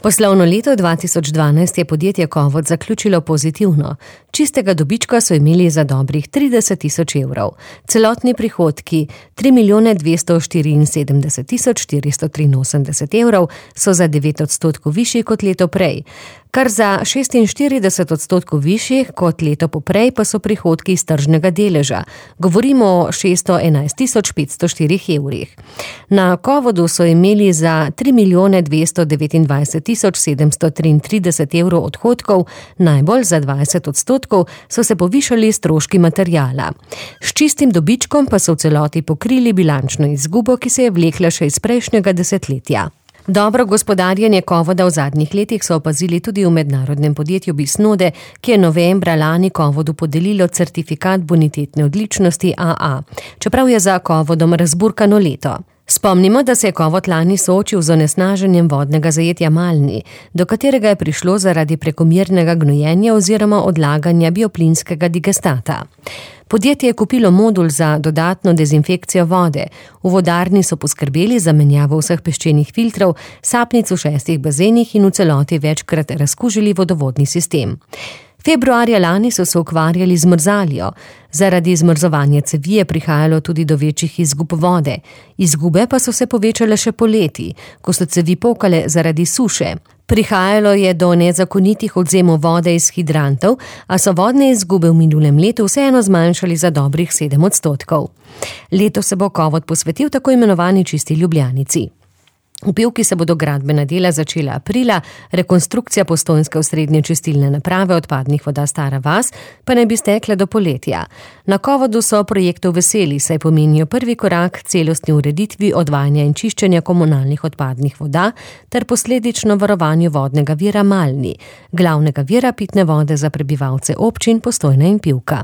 Poslovno leto 2012 je podjetje Kovod zaključilo pozitivno. Čistega dobička so imeli za dobrih 30 000 evrov. Celotni prihodki 3 483 evrov so za 9% višji kot leto prej. Kar za 46% višjih kot leto poprej pa so prihodki iz tržnega deleža. Govorimo o 611 504 evrih. Na Kovodu so imeli za 3 229 733 evrov odhodkov, najbolj za 20% so se povišali stroški materijala. S čistim dobičkom pa so v celoti pokrili bilančno izgubo, ki se je vlekla še iz prejšnjega desetletja. Dobro gospodarjenje Kovoda v zadnjih letih so opazili tudi v mednarodnem podjetju Bisnode, ki je novembra lani Kovodu podelilo certifikat bonitetne odličnosti AA, čeprav je za Kovodom razburkano leto. Spomnimo, da se je Kovod lani soočil z onesnaženjem vodnega zajetja Malni, do katerega je prišlo zaradi prekomernega gnojenja oziroma odlaganja bioplinskega digestata. Podjetje je kupilo modul za dodatno dezinfekcijo vode. V vodarni so poskrbeli za menjavo vseh peščenih filtrov, sapnic v 6 bazenih in v celoti večkrat razkužili vodovodni sistem. Februarja lani so se ukvarjali z mrzaljo. Zaradi zmrzovanja cevi je prihajalo tudi do večjih izgub vode. Izgube pa so se povečale še poleti, ko so cevi pokale zaradi suše. Prihajalo je do nezakonitih odvzemov vode iz hidrantov, a so vodne izgube v minulem letu vseeno zmanjšali za dobrih 7%. Leto se bo Kovod posvetil tako imenovani čisti Ljubljanici. V Pivki se bodo gradbena dela začela aprila, rekonstrukcija postojnske osrednje čistilne naprave odpadnih voda Stara vas pa naj bi stekla do poletja. Na Kovodu so projektov veseli, saj pomenijo prvi korak celostni ureditvi odvajanja in čiščenja komunalnih odpadnih voda ter posledično varovanju vodnega vira Malni, glavnega vira pitne vode za prebivalce občin Postojna in Pivka.